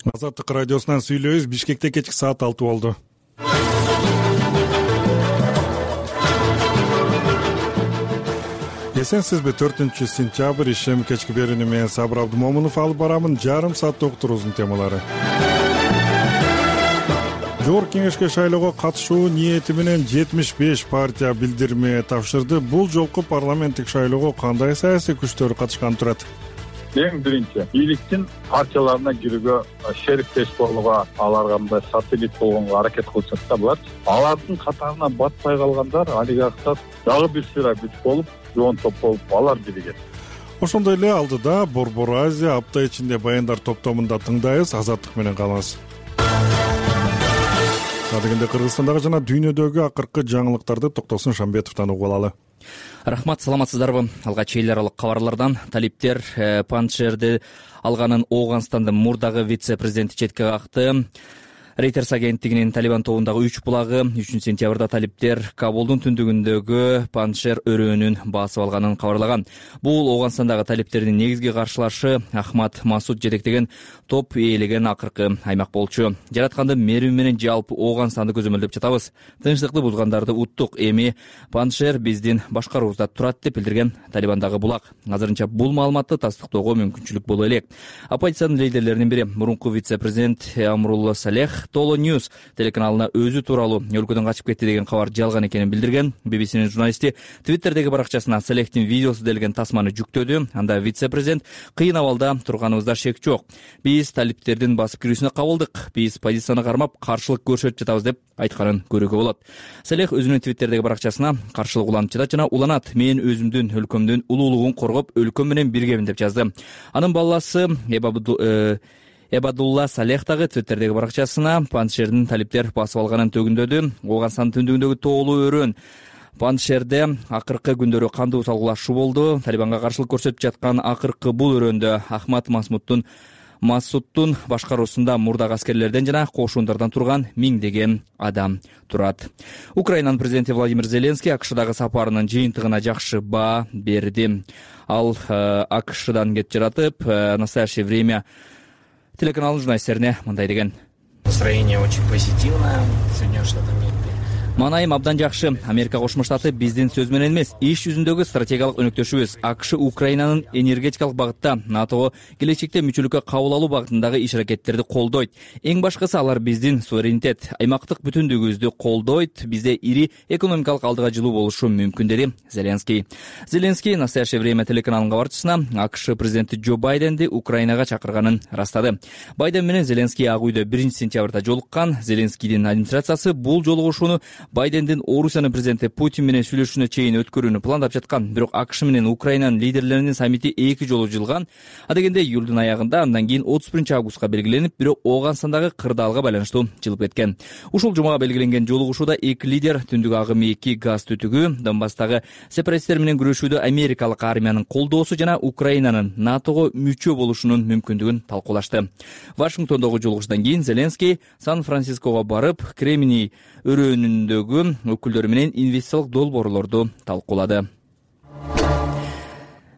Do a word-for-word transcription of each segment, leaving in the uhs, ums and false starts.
Азаттык радиосунан сүйлөйбүз. Бишкекте кечки саат алты болду. Эсенсизби? төртүнчү сентябрь ишем кечки берүүнү мен Сабыр Абдымомунов алып барамын. Жарым саатта уктуруубуздун темалары. Жогорку кеңешке шайлоого катышуу ниети менен жетимиш беш партия билдирме тапшырды. Бул жолку парламенттик шайлоого кандай саясий күчтөр катышкан турат? Эң биринчи бийликтин партияларына кирүүгө, шериктеш болууга, аларга мындай сателлит болгонго аракет кылышат да булар. Алардын катарына батпай калгандар, олигархтар дагы бир сыйра күч болуп, жоон топ болуп, алар биригет. Ошондой эле алдыда Борбор Азия апта ичинде баяндар топтомунда тыңдайбыз. Азаттык менен калыңыз. Адегенде Кыргызстандагы жана дүйнөдөгү акыркы жаңылыктарды Токтосун Шамбетовдон угуп алалы. Рахмат, саламатсыздарбы? Алгач эл аралык кабарлардан талиптер Паншерди алганын Ооганстандын мурдагы вице-президенти четке какты. Reuters агенттигинин Талибан тобундагы үч булагы үчүнчү сентябрда талиптер Кабулдун түндүгүндөгү Паншер өрөөнүн басып алганын кабарлаган. Бул Ооганстандагы талиптердин негизги каршылашы Ахмад Масуд жетектеген топ ээлеген акыркы аймак болчу. Жаратканды мерүү менен жалпы Ооганстанды көзөмөлдөп жатабыз. Тынчтыкты бузгандарды уттук. Эми Паншер биздин башкаруубузда турат деп билдирген Талибандагы булак. Азырынча бул маалыматты тастыктоого мүмкүнчүлүк боло элек. Оппозициянын лидерлеринин бири мурунку вице-президент Амрулла Салех Толо Ньюс телеканалына өзү тууралуу өлкөдөн качып кетти деген кабар жалган экенин билдирген. би би синин журналисти Твиттердеги баракчасына Салехтин видеосу делген тасманы жүктөдү. Анда вице-президент: кыйын абалда турганыбызда шек жок. Биз талиптердин басып кирүүсүнө кабылдык. Биз позицияны кармап каршылык көрсөтүп жатабыз деп айтканын көрүүгө болот. Салех өзүнүн Твиттердеги баракчасына каршылык уланып жатат жана уланат: мен өзүмдүн өлкөмдүн улуулугун коргоп, өлкөм менен биргемин деп жазды. Анын баласы Эбабду Эбадулла Салех дагы Твиттердеги баракчасына Паншердин талиптер басып алганын төгүндөдү. Ооганстандын түндүгүндөгү тоолуу өрөөн Паншерде акыркы күндөрү кандуу салгылашуу болду. Талибанга каршылык көрсөтүп жаткан акыркы бул өрөөндө Ахмад Масмудтун Масудтун башкаруусунда мурдагы аскерлерден жана кошундардан турган миңдеген адам турат. Украинанын президенти Владимир Зеленский АКШдагы сапарынын жыйынтыгына жакшы баа берди. Ал АКШдан кетип жатып, настоящее время телеканалдын журналисттерине мындай деген: Настроение очень позитивное в Соединенных Штатах Америки. Маанайым абдан жакшы. Америка Кошмо Штаты биздин сөз менен эмес, иш жүзүндөгү стратегиялык өнөктөшүбүз. АКШ Украинанын энергетикалык багытта НАТОго келечекте мүчөлүккө кабыл алуу багытындагы иш-аракеттерди колдойт. Эң башкысы алар биздин суверенитет, аймактык бүтүндүгүбүздү колдойт. Бизде ири экономикалык алдыга жылуу болушу мүмкүн, деди Зеленский. Зеленский настоящее время телеканалынын кабарчысына АКШ президенти Джо Байденди Украинага чакырганын ырастады. Байден менен Зеленский Ак үйдө биринчи сентябрда жолуккан. Зеленскийдин администрациясы бул жолугушууну Байдендин Орусиянын президенти Путин менен сүйлөшүүнө чейин өткөрүүнү пландап жаткан. Бирок АКШ менен Украинанын лидерлеринин саммити эки жолу жылган. Адегенде июлдун аягында, андан кийин отуз биринчи августка белгиленип, бирок Ооганстандагы кырдаалга байланыштуу жылып кеткен. Ушул жумага белгиленген жолугушууда эки лидер түндүк агым эки газ түтүгү, Донбасстагы сепаратисттер менен күрөшүүдө америкалык армиянын колдоосу жана Украинанын НАТОго мүчө болушунун мүмкүндүгүн талкуулашты. Вашингтондогу жолугушуудан кийин Зеленский Сан-Франциского барып, Кремний өрөөнүндөгү өкүлдөрү менен инвестициялык долбоорлорду талкуулады.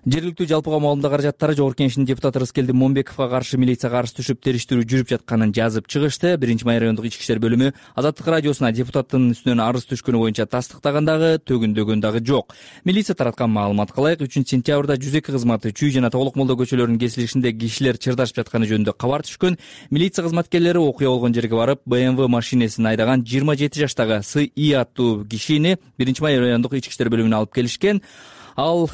Жергиликтүү жалпыга маалымдоо каражаттары Жогорку Кеңештин депутаты Рыскелди Момбековго каршы милицияга каршы түшүп териштирүү жүрүп жатканын жазып чыгышты. биринчи май райондук ички иштер бөлүмү Азаттык радиосуна депутаттын үстүнөн арыз түшкөнү боюнча тастыктаган дагы, төгүндөгөн дагы жок. Милиция тараткан маалыматка ылайык, үчүнчү сентябрда жүз эки кызматы Чүй жана Тоголок молдо көчөлөрүнүн кесилишинде кишилер чырдашып жатканы жөнүндө кабар түшкөн. Милиция кызматкерлери окуя болгон жерге барып, бэ эм вэ машинесин айдаган жыйырма жети жаштагы С И аттуу кишини биринчи май райондук ички иштер бөлүмүнө алып келишкен. Ал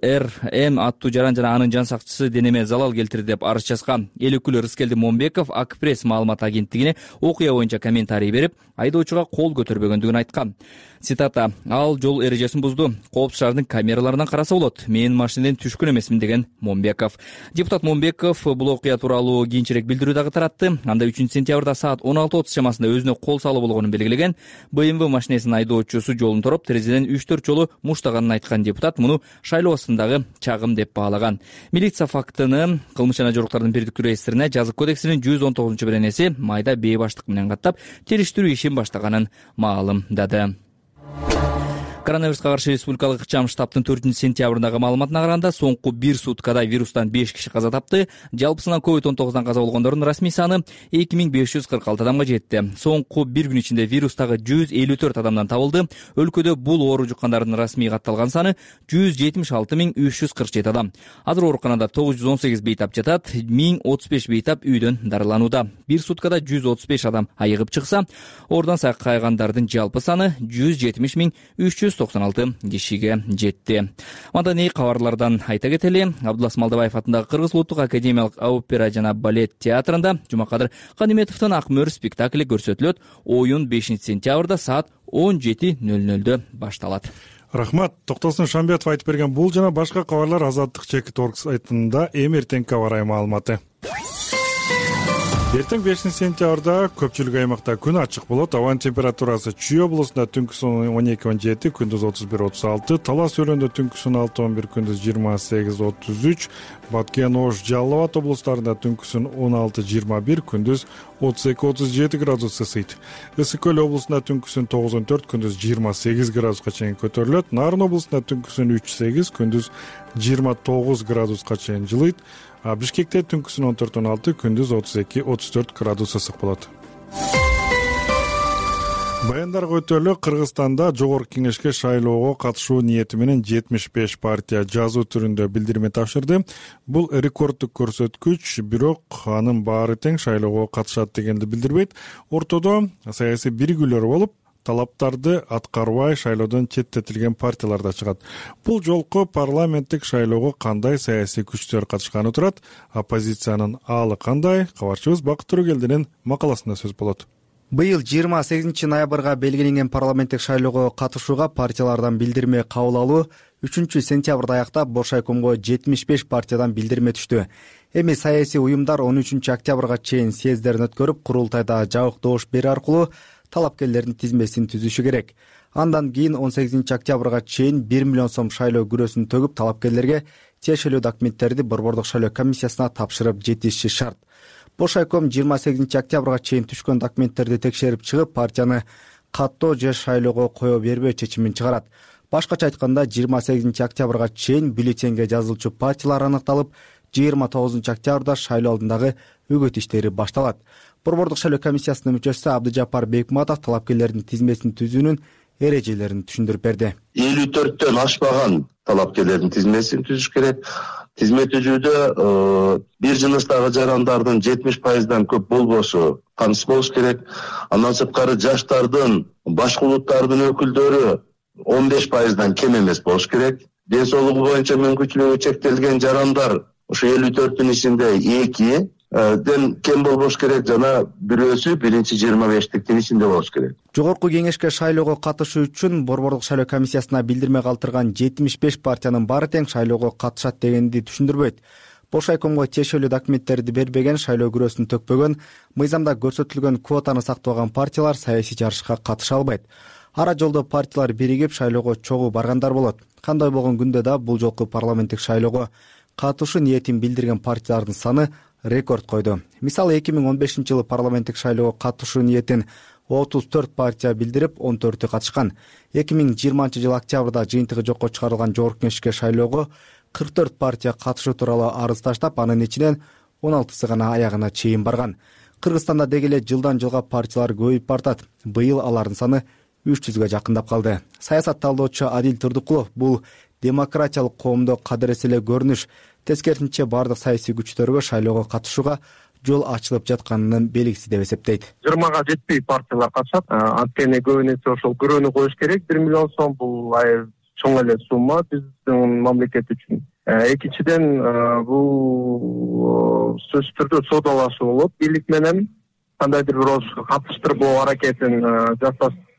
Р М аттуу жаран жана анын жан сакчысы денеме залал келтирди деп арыз жазган. Эл өкүлү Рыскелди Момбеков Ак пресс маалымат агенттигине окуя боюнча комментарий берип, айдоочуга кол көтөрбөгөндүгүн айткан. Цитата: ал жол эрежесин бузду, коопсуз шаардын камераларынан караса болот, мен машинеден түшкөн эмесмин, деген Момбеков. Депутат Момбеков бул окуя тууралуу кийинчерээк билдирүү дагы таратты. Анда үчүнчү сентябрда саат он алты отуз чамасында өзүнө кол салуу болгонун белгилеген. бэ эм вэ машинесинин айдоочусу жолун тороп, терезеден үч төрт жолу муштаганын айткан депутат муну шайлоо астындагы чагым деп баалаган. Милиция фактыны кылмыш жана жоруктардын бирдиктүү реестрине жазык кодексинин жүз он тогузунчу беренеси майда бээ баштык менен каттап териштирүү ишин баштаганын маалымдады. Коронавируска каршы республикалык ыкчам штабтын төртүнчү сентябрындагы маалыматына караганда соңку бир суткада вирустан беш киши каза тапты. Жалпысынан ковид он тогуздан каза болгондордун расмий саны эки миң беш жүз кырк алты адамга жетти. Соңку бир күн ичинде вирустагы жүз элүү төрт адамдан табылды. Өлкөдө бул оору жуккандардын расмий катталган саны жүз жетимиш алты миң үч жүз кырк жети адам. Азыр ооруканада тогуз жүз он сегиз бейтап жатат, миң отуз беш бейтап үйдөн дарыланууда. Бир суткада жүз отуз беш адам айыгып чыкса, ордон сакайгандардын жалпы саны жүз жетимиш миң үч жүз токсон алты кишиге жетти. Маданий кабарлардан айта кетели, Абдулас Малдыбаев атындагы Кыргыз улуттук академиялык опера жана балет театрында Жумакадыр Каниметовдун Акмөр спектакли көрсөтүлөт. Оюн бешинчи сентябрда саат он жети нөл нөлдө башталат. Рахмат. Токтосун Шамбетов айтып берген бул жана башка кабарлар Азаттык чекит орг сайтында эм эртеңки аба ырайы маалыматы. Эртең бешинчи сентябрда көпчүлүк аймакта күн ачык болот. Абанын температурасы Чүй облусунда түнкүсүн он эки он жети, күндүз отуз бир отуз алты, Талас өлөндө түнкүсүн алты он бир, күндүз жыйырма сегиз отуз үч, Баткен, Ош, Жалал Абад облустарында түнкүсүн он алты жыйырма бир, күндүз отуз эки отуз жети градус ысыйт. Ысык көл облусунда түнкүсүн тогуз он төрт, күндүз жыйырма сегиз градуска чейин көтөрүлөт. Нарын облусунда түнкүсүн үч сегиз, күндүз жыйырма тогуз градуска чейин жылыйт. Бишкекте түнкүсүн он төрт он алты, күндүз отуз эки отуз төрт градус ысык болот. Баяндарга өтөлү Кыргызстанда жогорку кеңешке шайлоого катышуу ниети менен жетимиш беш партия жазуу түрүндө билдирме тапшырды. Бул рекорддук көрсөткүч, бирок анын баары тең шайлоого катышат дегенди билдирбейт. Ортодо саясий биригүүлөр болуп, талаптарды аткарбай шайлоодон четтетилген партиялар да чыгат. Бул жолку парламенттик шайлоого кандай саясий күчтөр катышканы турат, оппозициянын аалы кандай? Кабарчыбыз Бакыт Төрөгелдинин макаласында сөз болот. Быйыл жыйырма сегизинчи ноябрга белгиленген парламенттик шайлоого катышууга партиялардан билдирме кабыл алуу үчүнчү сентябрда аяктап Боршайкомго жетимиш беш партиядан билдирме түштү. Эми саясий уюмдар он үчүнчү октябрга чейин съездерин өткөрүп, курултайда жабык добуш берүү аркылуу талапкерлердин тизмесин түзүшү керек. Андан кийин он сегизинчи октябрга чейин бир миллион сом шайлоо күрөсүн төгүп, талапкерлерге тиешелүү документтерди Борбордук шайлоо комиссиясына тапшырып жетиши шарт. Боршайком жыйырма сегизинчи октябрга чейин түшкөн документтерди текшерип чыгып, партияны каттоо же шайлоого кое бербөө чечимин чыгарат. Башкача айтканда, жыйырма сегизинчи октябрга чейин бюллетенге жазылчу партиялар аныкталып, жыйырма тогузунчу октябрда шайлоо алдындагы үгүт иштери башталат. Борбордук шайлоо комиссиясынын мүчөсү Абдыжапар Бекматов талапкерлердин тизмесин түзүүнүн эрежелерин түшүндүрүп берди. элүү төрттөн ашпаган талапкерлердин тизмесин түзүш керек. Тизме түзүүдө бир жыныстагы жарандардын жетимиш пайыздан көп болбошу камсыз болуш керек. Андан сырткары жаштардын, башка улуттардын өкүлдөрү он беш пайыздан кем эмес болуш керек. Ден соолугу боюнча мүмкүнчүлүгү чектелген жарандар ушу элүү төрттүн ичинде эки ден кем болбош керек, жана бирөөсү биринчи жыйырма бештиктин ичинде болуш керек. Жогорку кеңешке шайлоого катышуу үчүн Борбордук шайлоо комиссиясына билдирме калтырган жетимиш беш партиянын баары тең шайлоого катышат дегенди түшүндүрбөйт. Боршайкомго тиешелүү документтерди бербеген, шайлоо күрөсүн төкпөгөн, мыйзамда көрсөтүлгөн квотаны сактабаган партиялар саясий жарышка катыша албайт. Ара жолдо партиялар биригип шайлоого чогуу баргандар болот. Кандай болгон күндө да бул жолку парламенттик шайлоого катышуу ниетин билдирген партиялардын саны рекорд койду. Мисалы, эки миң он бешинчи жылы парламенттик шайлоого катышуу ниетин отуз төрт партия билдирип, он төртү катышкан. эки миң жыйырманчы жылы октябрда жыйынтыгы жокко чыгарылган жогорку кеңешке шайлоого кырк төрт партия катышуу тууралуу арыз таштап, анын ичинен он алтысы гана аягына чейин барган. Кыргызстанда деги эле жылдан жылга партиялар көбөйүп бартат. Быйыл алардын саны үч жүзгө жакындап калды. Саясат талдоочу Адил Турдукулов бул демократиялык коомдо кадырес эле көрүнүш. Тескерисинче, бардык саясий күчтөргө шайлоого катышууга жол ачылып жатканын белгиси деп эсептейт. жыйырмага жетпей партиялар катышат. Анткени көбүнесе ошол күрөөнү коюш керек. бир миллион сом бул чоң эле сумма биздин мамлекет үчүн. Экинчиден, бул сөзсүз түрдө соодалашуу болот. Бийлик менен кандайдыр бир катыштырбоо аракетин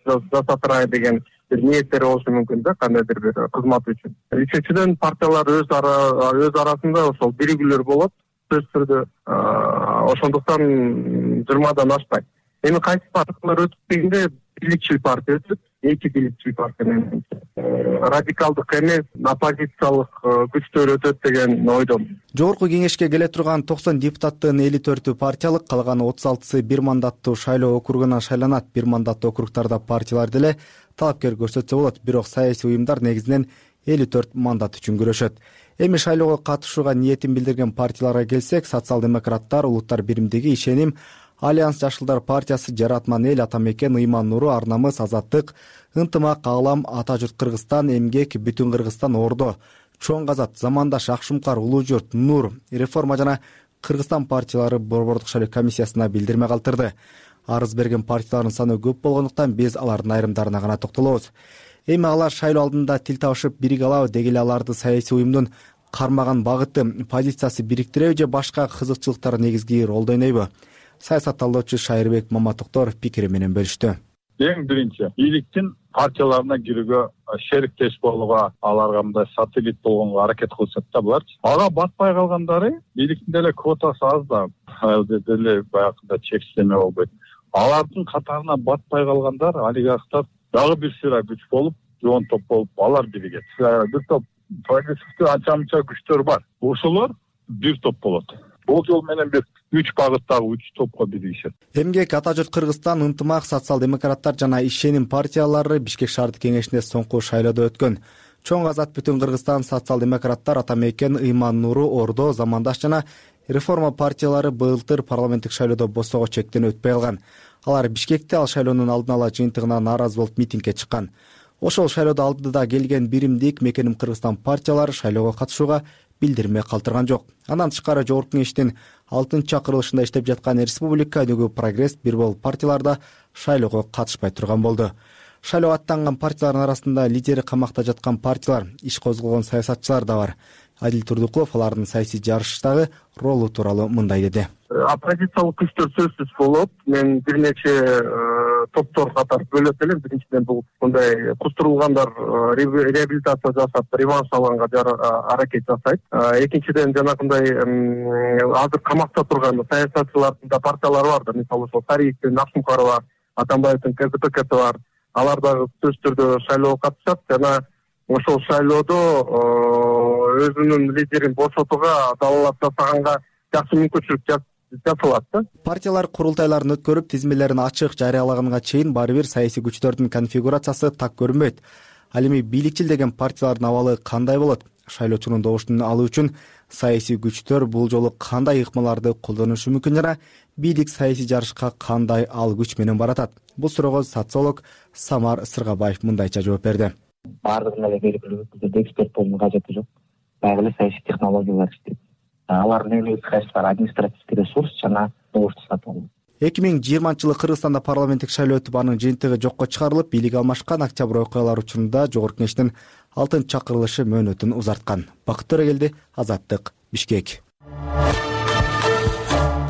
жасатырай деген бир ниеттери болушу мүмкүн да, кандайдыр бир кызмат үчүн. Үчүнчүдөн, партиялар өз ара өз арасында ошол биригүүлөр болот. Сөзсүз түрдө ошондуктан жыйырмадан ашпайт. Эми кайсы партиялар өтүп дегенде бийликчил партия өтөт. эки бийликчил партия менен радикалдык эмес оппозициялык күчтөр өтөт деген ойдомун. Жогорку кеңешке келе турган токсон депутаттын элүү төртү партиялык, калган отуз алтысы бир мандаттуу шайлоо округунан шайланат. Бир мандаттуу округдарда партиялар деле талапкер көрсөтсө болот, бирок саясий уюмдар негизинен элүү төрт мандат үчүн күрөшөт. Эми шайлоого катышууга ниетин билдирген партияларга келсек, социал-демократтар, Улуттар биримдиги, Ишеним, Альянс Жашылдар партиясы, Жаратман эл, Атамекен, Ыйман Нуру, Ар намыс, Азаттык, Ынтымак, Аалам, Ата журт Кыргызстан, Эмгек, Бүтүн Кыргызстан, Ордо, Чоң Казат, Замандаш, Акшумкар, Улуу журт, Нур, Реформа жана Кыргызстан партиялары Борбордук шайлоо комиссиясына билдирме калтырды. Арыз берген партиялардын саны көп болгондуктан биз алардын айрымдарына гана токтолобуз. Эми алар шайлоо алдында тил табышып бириге алабы, деги эле аларды саясий уюмдун кармаган багыты, позициясы бириктиреби же башка кызыкчылыктар негизги ролду ойнойбу? Саясат талдоочу Шайырбек Маматоктор пикири менен бөлүштү. Эң биринчи, бийликтин партияларына кирүүгө, шериктеш болууга, аларга мындай сателлит болгонго аракет кылышат да булар. Ага батпай калгандары, бийликтин деле квотасы аз да, деле баягындай чектеме болбойт. Алардын катарына батпай калгандар, олигархтар дагы бир сыйра күч болуп, жоон топ болуп, алар биригет. Бир топ прогрессивдүү анча-мынча күчтөр бар. Ошолор бир топ болот. Бул жол менен бир үч багыттагы үч топко биригишет. Эмгек, Ата журт Кыргызстан, Ынтымак, социал-демократтар жана Ишеним партиялары Бишкек шаардык кеңешинде соңку шайлоодо өткөн. Чоң Казат, Бүтүн Кыргызстан, социал-демократтар, Атамекен, Ыйман Нуру, Ордо, Замандаш жана Реформа партиялары былтыр парламенттик шайлоодо босого чектен өтпөй калган. Алар Бишкекте ал шайлоонун алдын ала жыйынтыгына нааразы болуп митингге чыккан. Ошол шайлоодо алдыда келген Биримдик, Мекеним Кыргызстан партиялары шайлоого катышууга билдирме калтырган жок. Андан тышкары жогорку кеңештин алтынчы чакырылышында иштеп жаткан Республика өнүгүү Прогресс, бир бол партияларда шайлоого катышпай турган болду. Шайлоого аттанган партиялардын арасында лидери камакта жаткан партиялар, иш козгогон саясатчылар да бар. Адил Турдукулов алардын саясий жарыштагы ролу тууралуу мындай деди. Оппозициялык күчтөр сөзсүз болот. Мен бир нече топтор катары бөлөт элем. Биринчиден бул мындай кустурулгандар реабилитация жасап, реванш алганга аракет жасайт. Экинчиден жанагындай азыр камакта турган саясатчылардын да партиялары бар да. Мисалы ошол Тариевдин, Акшумкарова, Атамбаевдин КЗПКсы бар. Алар дагы сөзсүз түрдө шайлоого катышат жана ошол шайлоодо өзүнүн лидерин бошотууга далалап жасаганга жакшы мүмкүнчүлүк жасалат да. Партиялар курултайларын өткөрүп, тизмелерин ачык жарыялаганга чейин баары бир саясий күчтөрдүн конфигурациясы так көрүнбөйт. Ал эми бийликчил деген партиялардын абалы кандай болот? Шайлоочунун добуштун алуу үчүн саясий күчтөр бул жолу кандай ыкмаларды колдонушу мүмкүн жана бийлик саясий жарышка кандай ал күч менен баратат? Бул суроого социолог Самар Сыргабаев мындайча жооп берди. Баардыгында эле белгилүү түрдө эксперт болуунун кажети жок. Баягы эле саясий технологиялар иштейт. Алардын негизги кайсылары административдик ресурс жана добушту сатып алуу. эки миң жыйырманчы жылы Кыргызстанда парламенттик шайлоо өтүп, анын жыйынтыгы жокко чыгарылып, бийлик алмашкан октябрь окуялары учурунда жогорку кеңештин алтынчы чакырылышы мөөнөтүн узарткан. Бакыт Төрөгелди, Азаттык, Бишкек.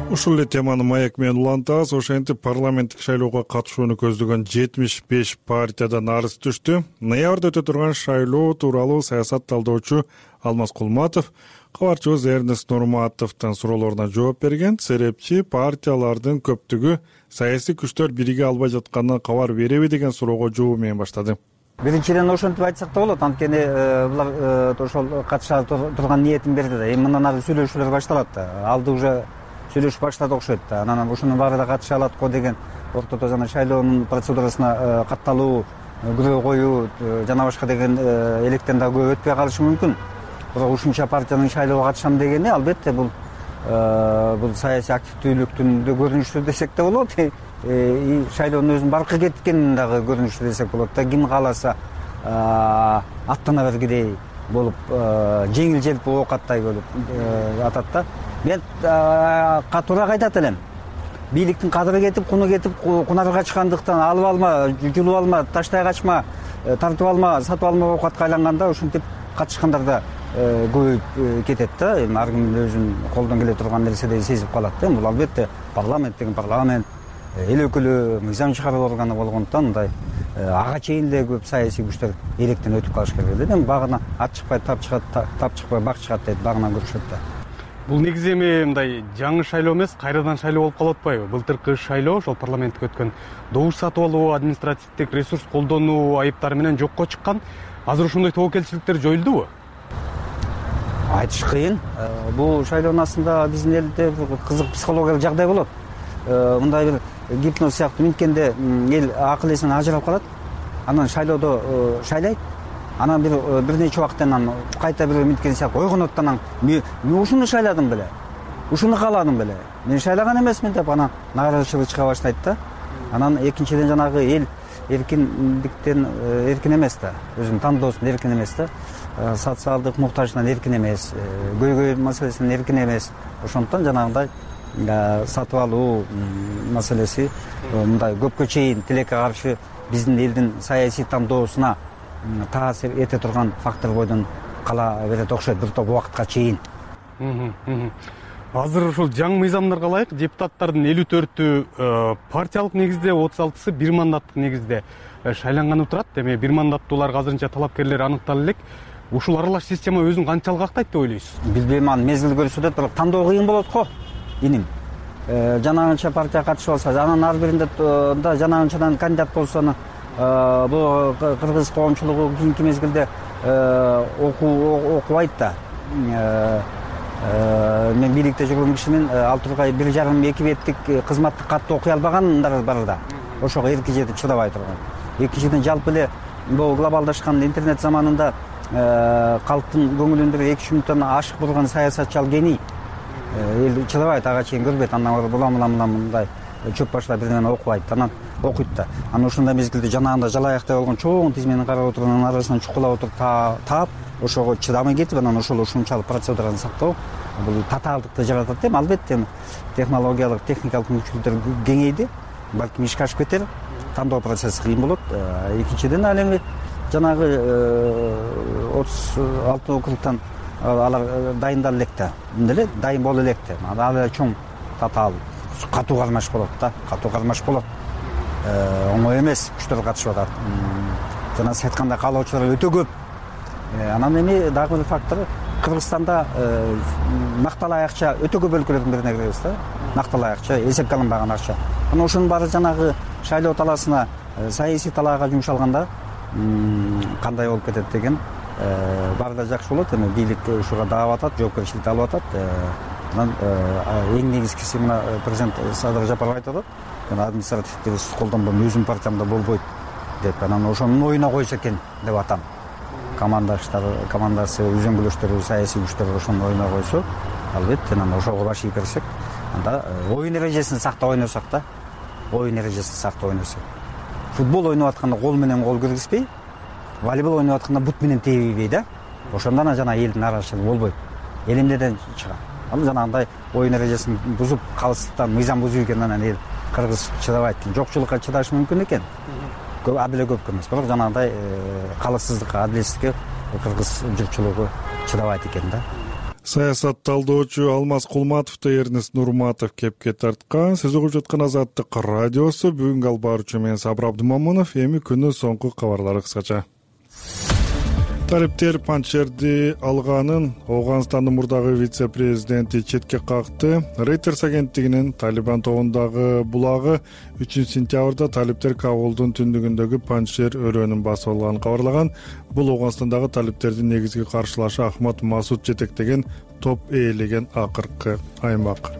Ушул эле теманы Маяк менен улантабыз. Ошентип парламенттик шайлоого катышууну көздөгөн жетимиш беш партиядан арыз түштү. Ноябрда өтө турган шайлоо тууралуу саясат талдоочу Алмаз Кулматов кабарчыбыз Эрнест Нурматовдун суроолоруна жооп берген. Серепчи партиялардын көптүгү саясий күчтөр бириге албай жатканынан кабар береби деген суроого жообу менен баштады. Биринчиден ошентип айтсак да болот, анткени булар ошол катыша турган ниетин берди да. Эми мындан ары сүйлөшүүлөр башталат да. Алды уже сүйлөшүп баштады окшойт да. Анан ушунун баары да катыша алат го деген ортодо жана шайлоонун процедурасына катталуу, күбө коюу жана башка деген электен да көп өтпөй калышы мүмкүн. Бирок ушунча партиянын шайлоого катышам дегени албетте бул бул саясий активдүүлүктүн да көрүнүшү десек да болот. И шайлоонун өзүнүн баркы кеткенин дагы көрүнүшү десек болот да. Ким кааласа аттана бергидей болуп, жеңил желпи оокаттай болуп атат да. Мен катуураак айтат элем. Бийликтин кадыры кетип, куну кетип, кунарга качкандыктан алып алма, жулуп алма, таштай качма, тартып алма, сатып алма оокатка айланганда ушинтип катышкандар да көбөйүп кетет да. Эми ар ким өзүнүн колдон келе турган нерседей сезип калат да. Бул албетте парламент деген парламент, эл өкүлү, мыйзам чыгаруу органы болгондуктан мындай ага чейин эле көп саясий күчтөр электен өтүп калыш керек эле. Эми багына ат чыкпай тап чыгат, тап чыкпай бак чыгат дейт, багынан көрүшөт да. Бул негизи эми мындай жаңы шайлоо эмес, кайрадан шайлоо болуп калып атпайбы? Былтыркы шайлоо ошол парламентке өткөн добуш сатып алуу, административдик ресурс колдонуу айыптары менен жокко чыккан. Азыр ошондой тобокелчиликтер жоюлдубу? Айтыш кыйын. Бул шайлоонун астында биздин элде кызык психологиялык жагдай болот. Мындай бир гипноз сыяктуу минткенде эл акыл эсинен ажырап калат. Анан шайлоодо шайлайт. Анан бир бир нече убакыттан анан кайта бир минткен сыяктуу ойгонот. Анан мен ушуну шайладым беле, ушуну кааладым беле, мен шайлаган эмесмин деп анан нааразычылык чыга баштайт да. Анан экинчиден жанагы эл эркиндиктен эркин эмес да, өзүнүн тандоосунан эркин эмес да, социалдык муктажынан эркин эмес, көйгөй маселесинен эркин эмес. Ошондуктан жанагындай сатып алуу маселеси мындай көпкө чейин тилекке каршы биздин элдин саясий тандоосуна таасир эте турган фактор бойдон кала берет окшойт бир топ убакытка чейин. Азыр ушул жаңы мыйзамдарга ылайык депутаттардын элүү төртү партиялык негизде, отуз алтысы бир мандаттык негизде шайланганы турат. Эми бир мандаттууларга азырынча талапкерлер аныктала элек. Ушул аралаш система өзүн канчалык актайт деп ойлойсуз? Билбейм, аны мезгил көрсөтөт, бирок тандоо кыйын болот го. Иним жанагынча партия катышып алса, анан ар биринде да жанагынчадан кандидат болсо, бул кыргыз коомчулугу кийинки мезгилде окубайт да. Мен бийликте жүргөн кишимин ал тургай бир жарым эки беттик кызматтык катты окуй албагандар бар да. Ошого эрки жетип чыдабай турган. Экинчиден жалпы эле бул глобалдашкан интернет заманында калктын көңүлүндө эки үч мүнөттөн ашык болгон саясатчы ал гений. Эл чыдабайт, ага чейин көрбөйт. Андан булам булам булам мындай чөп башлап бир нерсени окубайт. Анан окуйт да. Анан ошондой мезгилде жанагында жалаяктай болгон чоң тизмени карап отурганын арасынан чукулап отуруп таап, ошого чыдамай кетип, анан ошол ушунчалык процедураны сактоо бул татаалдыкты жаратат эми. Албетте технологиялык, техникалык мүмкүнчүлүктөр кеңейди. Балким ишке ашып кетер, тандоо процесси кыйын болот. Экинчиден ал эми жанагы отуз алты округтан алар дайындала элек да. Эмне эле дайын боло элек да. Ал эле чоң татаал катуу кармаш болот да, катуу кармаш болот. Оңой эмес, күчтөр катышып атат. Жана сиз айткандай каалоочулар өтө көп. Анан эми дагы бир фактор, Кыргызстанда накталай акча өтө көп өлкөлөрдүн бирине киребиз да. Накталай акча, эсепке алынбаган акча. Анан ошонун баары жанагы шайлоо талаасына, саясий талаага жумшалганда кандай болуп кетет деген баары да жакшы болот. Эми бийлик ушуга даап атат, жоопкерчиликти алып атат. Анан эң негизгиси мына президент Садыр Жапаров айтып атат. Административдик ресурс колдонбойм, өзүмдүн партиямда болбойт деп. Анан ошонун оюна койсо экен деп атам. Командаштар, командасы, үзөңгүлөштөрү, саясий күчтөр ошонун оюна койсо, албетте анан ошого баш ийип берсек, анда оюн эрежесин сактап ойносок да. Оюн эрежесин сактап ойносок. Футбол ойноп атканда кол менен кол киргизбей, волейбол ойноп атканда бут менен тебейбей да. Ошондо жана элдин нааразычылыгы болбойт. Эл эмнеден чыгат? Ал жанагындай оюн эрежесин бузуп, калыстыктан мыйзам бузуу экен, анан эл кыргыз чыдабайт экен. Жокчулукка чыдашы мүмкүн экен. Көп абил көп эмес, бирок жанагындай калыссыздыкка, адилетсиздикке кыргыз журтчулугу чыдабайт экен да. Саясат талдоочу Алмаз Кулматовду Эрнест Нурматов кепке тарткан. Сиз угуп жаткан Азаттык радиосу. Бүгүнкү алып баруучу мен Сабыр Абдымамунов. Эми күнүн соңку кабарлары кыскача. Талиптер панчерди алганын Ооганстандын мурдагы вице-президенти четке какты. Reuters агенттигинин Талибан тобундагы булагы үчүнчү сентябрда талиптер Кабулдун түндүгүндөгү панчер өрөөнүн басып алганын кабарлаган. Бул Ооганстандагы талиптердин негизги каршылашы Ахмад Масуд жетектеген топ ээлеген акыркы аймак.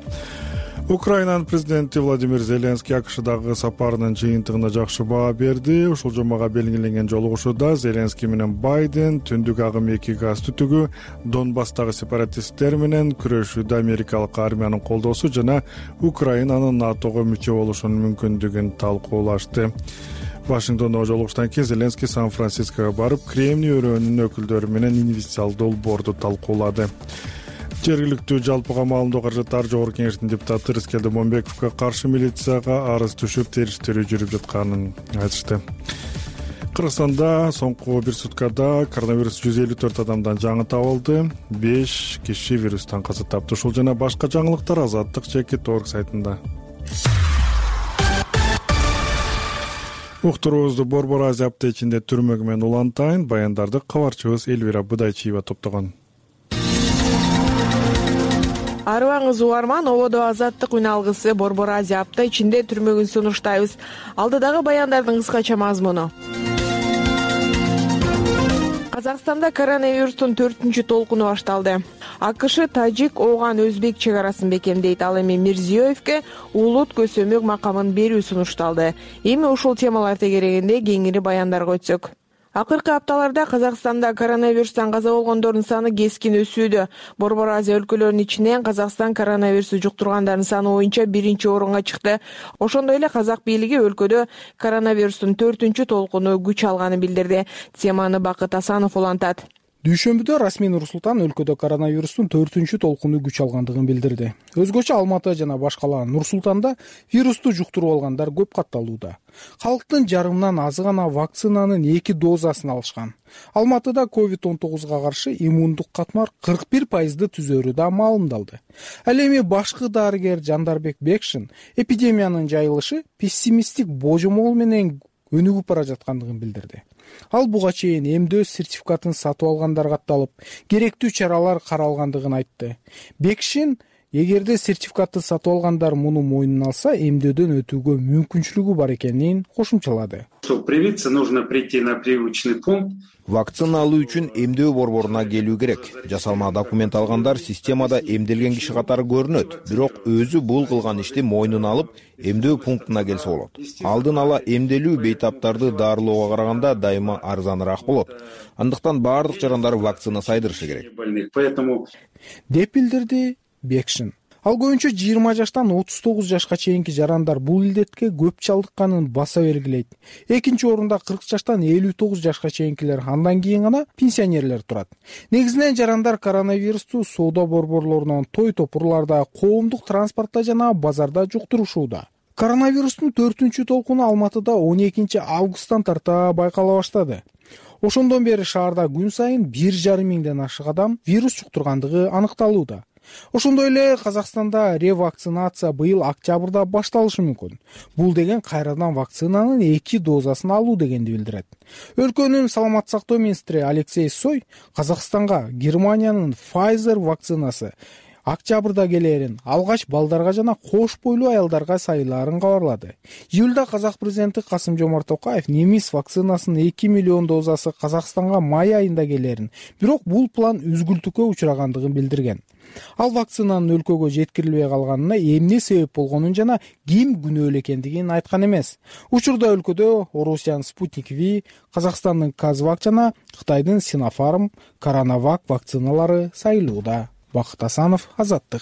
Украинанын президенти Владимир Зеленский АКШдагы сапарынын жыйынтыгына жакшы баа берди. Ушул жумага белгиленген жолугушууда Зеленский менен Байден түндүк агым эки газ түтүгү, Донбасстагы сепаратисттер менен күрөшүүдө америкалык армиянын колдоосу жана Украинанын НАТОго мүчө болушунун мүмкүндүгүн талкуулашты. Вашингтондо жолугуштан кийин Зеленский Сан-Франциского барып, Кремний өрөөнүнүн өкүлдөрү менен инвестициялдуу долбоорду талкуулады. Жергиликтүү жалпыга маалымдоо каражаттары жогорку кеңештин депутаты Рыскелди Момбековго каршы милицияга арыз түшүп, териштирүү жүрүп жатканын айтышты. Кыргызстанда соңку бир суткада коронавирус жүз элүү төрт адамдан жаңы табылды. беш киши вирустан каза тапты. Ушул жана башка жаңылыктар Азаттык чекит орг сайтында. Уктуруубузду Борбор Азия аптечинде түрмөгү менен улантайын. Баяндарды кабарчыбыз Элвира Будайчиева топтогон. Арыбаңыз угарман, ободо Азаттык үн алгысы Борбор Азия апта ичинде түрмөгүн сунуштайбыз. Алдыдагы баяндардын кыскача мазмуну. Казакстанда коронавирустун төртүнчү толкуну башталды. АКШ тажик, ооган, өзбек чек арасын бекемдейт. Ал эми Мирзиёевке улут көсөмөк макамын берүү сунушталды. Эми ушул темалар тегерегинде кеңири баяндарга өтсөк. Акыркы апталарда Казакстанда коронавирустан каза болгондордун саны кескин өсүүдө. Борбор Азия өлкөлөрүнүн ичинен Казакстан коронавирусу жуктургандардын саны боюнча биринчи орунга чыкты. Ошондой эле казак бийлиги өлкөдө коронавирустун төртүнчү толкуну күч алганын билдирди. Теманы Бакыт Асанов улантат. Дүйшөмбүдө расмий Нур-Султан өлкөдө коронавирустун төртүнчү толкуну күч алгандыгын билдирди. Өзгөчө Алматы жана башкалар Нур-Султанда вирусту жуктуруп алгандар көп катталууда. Калктын жарымынан азы гана вакцинанын эки дозасын алышкан. Алматыда ковид он тогузга каршы иммундук катмар кырк бир пайызды түзөрү да маалымдалды. Ал эми башкы дарыгер Жандарбек Бекшин эпидемиянын жайылышы пессимисттик божомол менен өнүгүп бара жаткандыгын билдирди. Ал буга чейин эмдөө сертификатын сатып алгандар катталып, керектүү чаралар каралгандыгын айтты. Бекшин эгерде сертификатты сатып алгандар муну мойнуна алса, эмдөөдөн өтүүгө мүмкүнчүлүгү бар экенин кошумчалады. Привиться нужно прийти на привычный пункт. Вакцина алуу үчүн эмдөө борборуна келүү керек. Жасалма документ алгандар системада эмделген киши катары көрүнөт. Бирок өзү бул кылган ишти мойнуна алып, эмдөө пунктуна келсе болот. Алдын ала эмделүү бейтаптарды дарылоого караганда дайыма арзаныраак болот. Андыктан баардык жарандар вакцина сайдырышы керек. Деп билдирди Бекшин. Ал көбүнчө жыйырма жаштан отуз тогуз жашка чейинки жарандар бул илдетке көп чалдыкканын баса белгилейт. Экинчи орунда кырк жаштан элүү тогуз жашка чейинкилер, андан кийин гана пенсионерлер турат. Негизинен жарандар коронавирусту соода борборлорунан, той топурларда, коомдук транспортто жана базарда жуктурушууда. Коронавирустун төртүнчү толкуну Алматыда он экинчи августтан тарта байкала баштады. Ошондон бери шаарда күн сайын бир жарым миңден ашык адам вирус жуктургандыгы аныкталууда. Ошондой эле Казакстанда ревакцинация быйыл октябрда башталышы мүмкүн. Бул деген кайрадан вакцинанын эки дозасын алуу дегенди билдирет. Өлкөнүн саламаттык сактоо министри Алексей Сой Казакстанга Германиянын Pfizer вакцинасы октябрда келерин, алгач балдарга жана кош бойлуу аялдарга сайылаарын кабарлады. Июлда казак президенти Касым-Жомарт Токаев немис вакцинасынын эки миллион дозасы Казакстанга май айында келерин, бирок бул план үзгүлтүккө учурагандыгын билдирген. Ал вакцинанын өлкөгө жеткирилбей калганына эмне себеп болгонун жана ким күнөөлүү экендигин айткан эмес. Учурда өлкөдө Орусиянын Спутник V, Казакстандын Казвак жана Кытайдын Синофарм, Коронавак вакциналары сайылууда. Бакыт Асанов, Азаттык.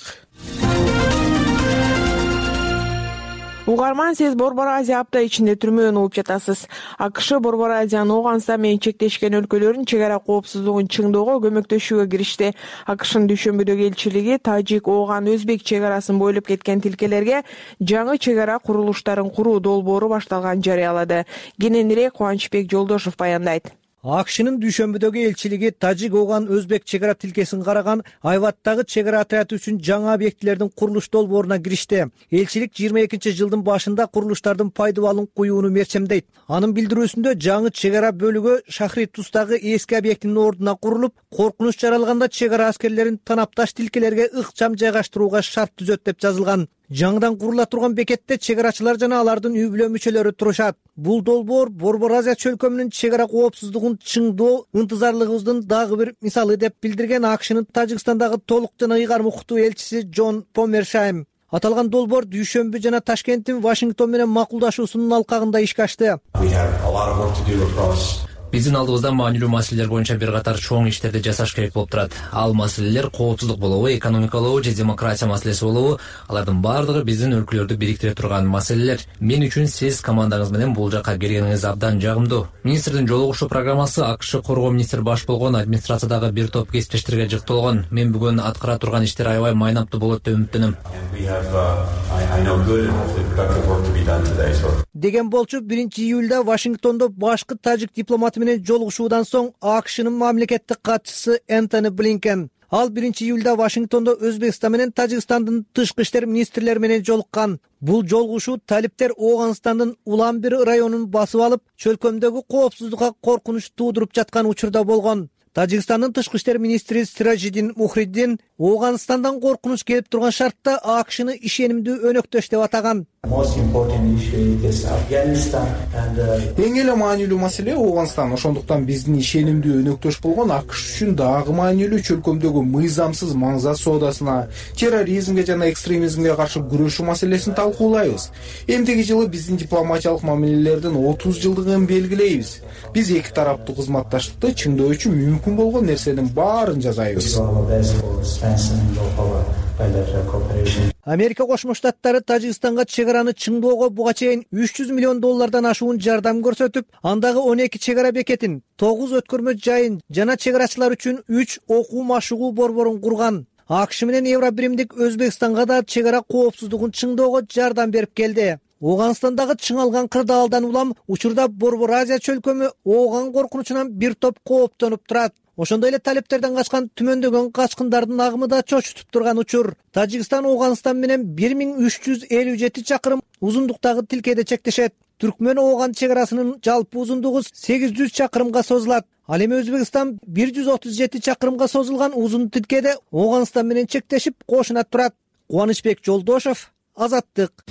Угарман, сиз Борбор Азия апта ичинде түрмөдөн угуп жатасыз. АКШ Борбор Азиянын Ооганстан менен чектешкен өлкөлөрүн чек ара коопсуздугун чыңдоого көмөктөшүүгө киришти. АКШнын Дүйшөмбүдөгү элчилиги тажик, ооган, өзбек чек арасын бойлоп кеткен тилкелерге жаңы чек ара курулуштарын куруу долбоору башталганын жарыялады. Кененирээк Кубанычбек Жолдошов баяндайт. АКШнын Дүйшөмбүдөгү элчилиги тажик, ооган, өзбек чек ара тилкесин караган Айваттагы чек ара отряды үчүн жаңы объектилердин курулуш долбооруна киришти. Элчилик жыйырма экинчи жылдын башында курулуштардын пайдаланууну куюуну мерчемдейт. Анын билдирүүсүндө жаңы чек ара бөлүгү Шахри Тустагы эски объектинин ордуна курулуп, коркунуч жаралганда чек ара аскерлерин танапташ тилкелерге ыкчам жайгаштырууга шарт түзөт деп жазылган. Жаңыдан курула турган бекетте чек арачылар жана алардын үй бүлө мүчөлөрү турушат. Бул долбоор Борбор Азия чөлкөмүнүн чек ара коопсуздугун чыңдоо ынтызарлыгыбыздын дагы бир мисалы деп билдирген АКШнын Тажикстандагы толук жана ыйгарым укуктуу элчиси Джон Помершайм. Аталган долбоор Дүйшөмбү жана Ташкенттин Вашингтон менен макулдашуусунун алкагында ишке ашты. Биздин алдыбызда маанилүү маселелер боюнча бир катар чоң иштерди жасаш керек болуп турат. Ал маселелер коопсуздук болобу, экономикалуу же демократия маселеси болобу, алардын баардыгы биздин өлкөлөрдү бириктире турган маселелер. Мен үчүн сиз командаңыз менен бул жакка келгениңиз абдан жагымдуу. Министрдин жолугушуу программасы АКШ коргоо министри баш болгон администрациядагы бир топ кесиптештерге жыкталган. Мен бүгүн аткара турган иштер аябай майнамдуу болот деп үмүттөнөм. Деген болчу биринчи июлда Вашингтондо башкы тажик дипломаты менен жолугушуудан соң АКШнын мамлекеттик катчысы Энтони Блинкен. Ал биринчи июлда Вашингтондо Өзбекстан менен Тажикстандын тышкы иштер министрлери менен жолуккан. Бул жолугушуу талиптер Ооганстандын Улан-Бир районун басып алып, чөлкөмдөгү коопсуздукка коркунуч туудуруп жаткан учурда болгон. Тажикстандын тышкы иштер министри Сиражиддин Мухриддин Ооганстандан коркунуч келип турган шартта АКШны ишенимдүү өнөктөш деп атаган. Эң эле маанилүү маселе Ооганстан. Ошондуктан биздин ишенимдүү өнөктөш болгон АКШ үчүн дагы маанилүү чөлкөмдөгү мыйзамсыз маңзат соодасына, терроризмге жана экстремизмге каршы күрөшүү маселесин талкуулайбыз. Эмдеги жылы биздин дипломатиялык мамилелердин отуз жылдыгын белгилейбиз. Биз эки тараптуу кызматташтыкты чыңдоо үчүн мүмкүн болгон нерсенин баарын жасайбыз. Америка Кошмо Штаттары Тажикстанга чек араны чыңдоого буга чейин үч жүз миллион доллардан ашуун жардам көрсөтүп, андагы он эки чек ара бекетин, тогуз өткөрмө жайын жана чек арачылар үчүн үч окуу машыгуу борборун курган. АКШ менен Евробиримдик Өзбекстанга да чек ара коопсуздугун чыңдоого жардам берип келди. Ооганстандагы чыңалган кырдаалдан улам учурда Борбор Азия чөлкөмү Ооган коркунучунан бир топ кооптонуп турат. Ошондой эле талептерден качкан түмөндөгөн качкындардын агымы да чочутуп турган учур. Тажикстан Ооганстан менен бир миң үч жүз элүү жети чакырым узундуктагы тилкеде чектешет. Түркмөн Ооган чек арасынын жалпы узундугу сегиз жүз чакырымга созулат. Ал эми Өзбекстан бир жүз отуз жети чакырымга созулган узун тилкеде Ооганстан менен чектешип кошуна турат. Кубанычбек Жолдошов, Азаттык.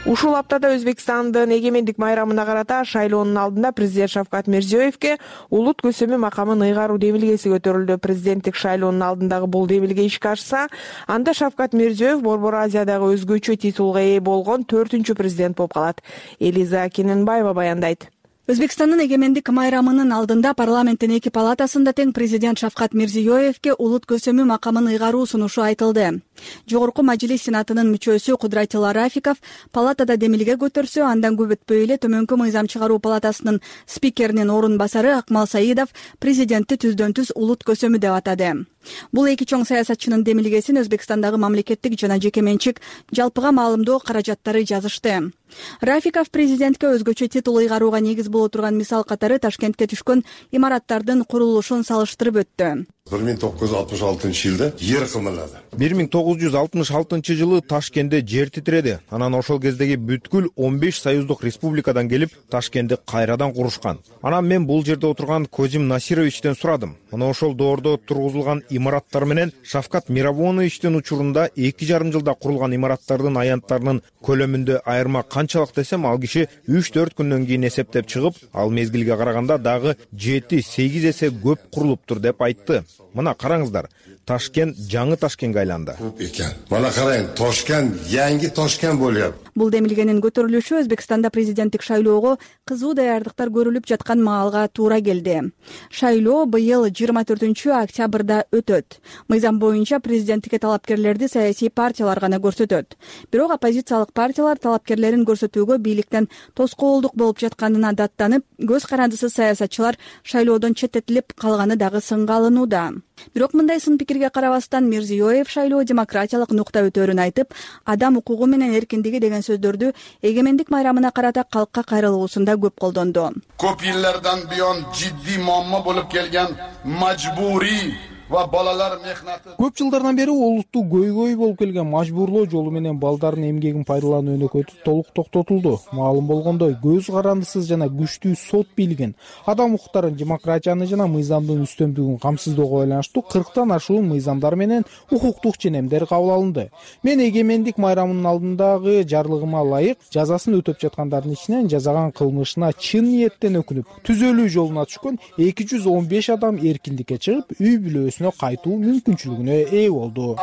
Ушул аптада Өзбекстандын эгемендик майрамына карата шайлоонун алдында президент Шавкат Мирзиёевке улут көсөмү макамын ыйгаруу демилгеси көтөрүлдү. Президенттик шайлоонун алдындагы бул демилге ишке ашса, анда Шавкат Мирзиёев Борбор Азиядагы өзгөчө титулга ээ болгон төртүнчү президент болуп калат. Элиза Кененбаева баяндайт. Өзбекстандын эгемендик майрамынын алдында парламенттин эки палатасында тең президент Шавкат Мирзиёевке улут көсөмү макамын ыйгаруу сунушу айтылды. Жогорку мажлис сенатынын мүчөсү Кудратилла Рафиков палатада демилге көтөрсө, андан көп өтпөй эле Төмөнкү мыйзам чыгаруу палатасынын спикеринин орун басары Акмал Саидов президентти түздөн түз улут көсөмү деп атады. Бул эки чоң саясатчынын демилгесин Өзбекстандагы мамлекеттик жана жеке менчик жалпыга маалымдоо каражаттары жазышты. Рафиков президентке өзгөчө титул ыйгарууга негиз боло турган мисал катары Ташкентке түшкөн имараттардын курулушун салыштырып өттү. бир миң тогуз жүз алтымыш алтынчы жылда жер кымырлады. бир миң тогуз жүз алтымыш алтынчы жылы Ташкентте жер титиреди. Анан ошол кездеги бүткүл он беш союздук республикадан келип Ташкентти кайрадан курушкан. Анан мен бул жерде отурган Козим Насировичтен сурадым. Мына ошол доордо тургузулган имараттар менен Шавкат Миравоновичтин учурунда эки жарым жылда курулган имараттардын аянттарынын көлөмүндө айырма канчалык десем, ал киши үч төрт күндөн кийин эсептеп чыгып, ал мезгилге караганда дагы жети сегиз эсе көп курулуптур деп айтты. Мына караңыздар, Ташкент жаңы Ташкентке айланды. Экен. Мына карайын, Ташкент yangi Ташкент болуп. Бул демилгенин көтөрүлүшү Өзбекстанда президенттик шайлоого кызуу даярдыктар көрүлүп жаткан маалга туура келди. Шайлоо быйыл жыйырма төртүнчү октябрда өтөт. Мыйзам боюнча президенттикке талапкерлерди саясий партиялар гана көрсөтөт. Бирок оппозициялык партиялар талапкерлерин көрсөтүүгө бийликтен тоскоолдук болуп жатканына даттанып, көз карандысыз саясатчылар шайлоодон четтетилип калганы дагы сынга алынууда. Бирок мындай сын пикирге карабастан Мирзиёев шайлоо демократиялык нукта өтөрүн айтып, адам укугу менен эркиндиги деген сөздөрдү эгемендик майрамына карата калкка кайрылуусунда көп колдонду. Көп жылдардан буyon жиддий muammo болуп келген мажбурий ва балалар мехнаты. Көп жылдардан бери олуттуу көйгөй болуп келген мажбурлоо жолу менен балдардын эмгегин пайдалануу өнөкөтү толук токтотулду. Маалым болгондой, көз карандысыз жана күчтүү сот бийлигин, адам укуктарын, демократияны жана мыйзамдын үстөмдүгүн камсыздоого байланыштуу кырктан ашуун мыйзамдар менен укуктук ченемдер кабыл алынды. Мен эгемендик майрамынын алдындагы жарлыгыма ылайык жазасын өтөп жаткандардын ичинен жазаган кылмышына чын ниеттен өкүнүп, түзөлүү жолуна түшкөн эки жүз он беш адам эркиндикке чыгып, үй бүлөсүнө кайтуу мүмкүнчүлүгүнө ээ болду.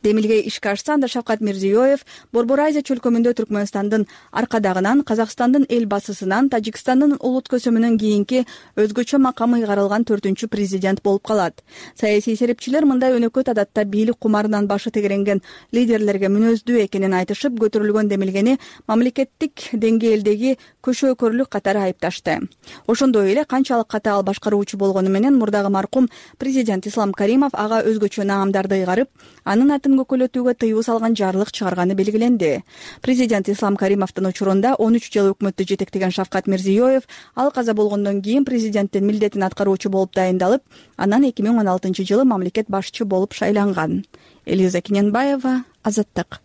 Демилге ишке ашса, анда Шавкат Мирзиёев Борбор Азия чөлкөмүндө Түркмөнстандын аркадагынан, Казакстандын эл басысынан, Тажикстандын улут көсөмүнөн кийинки өзгөчө макамы ыйгарылган төртүнчү президент болуп калат. Саясий серепчилер мындай өнөкөт адатта бийлик кумарынан башы тегеренген лидерлерге мүнөздүү экенин айтышып, көтөрүлгөн демилгени мамлекеттик деңгээлдеги көшөөкөрлүк катары айыпташты. Ошондой эле канчалык катаал башкаруучу болгону менен мурдагы маркум президент Ислам Каримов ага өзгөчө наамдарды ыйгарып, анын атын көкөлөтүүгө тыюу салган жарлык чыгарганы белгиленди. Президент Ислам Каримовдун учурунда он үч жыл өкмөттү жетектеген Шавкат Мирзиёев ал каза болгондон кийин президенттин милдетин аткаруучу болуп дайындалып, анан эки миң он алтынчы жылы мамлекет башчы болуп шайланган. Элиза Кененбаева, Азаттык.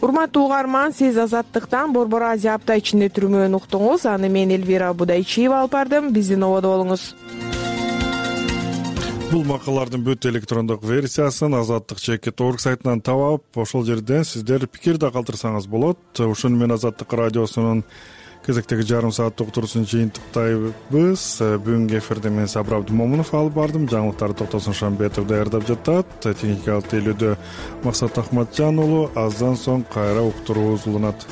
урматтуу угарман, сиз Азаттыктан Борбор Азия апта ичинде түрмөөнү уктуңуз. Аны мен Элвира Будайчиева алып бардым. Биздин ободо болуңуз. Бул макалалардын бүт электрондук версиясын азаттык чекит точка орг сайтынан таап алып, ошол жерден сиздер пикир да калтырсаңыз болот. Ушуну мен Азаттык радиосунун кезектеги жарым сааттык турусун жыйынтыктайбыз. Бүгүнкү эфирде мен Сабыр Абдымомунов алып бардым. Жаңылыктарды Токтосун Шамбетов даярдап жатат. Техникалык тейлөөдө Максат Ахматжан уулу. Аздан соң кайра уктуруубуз уланат.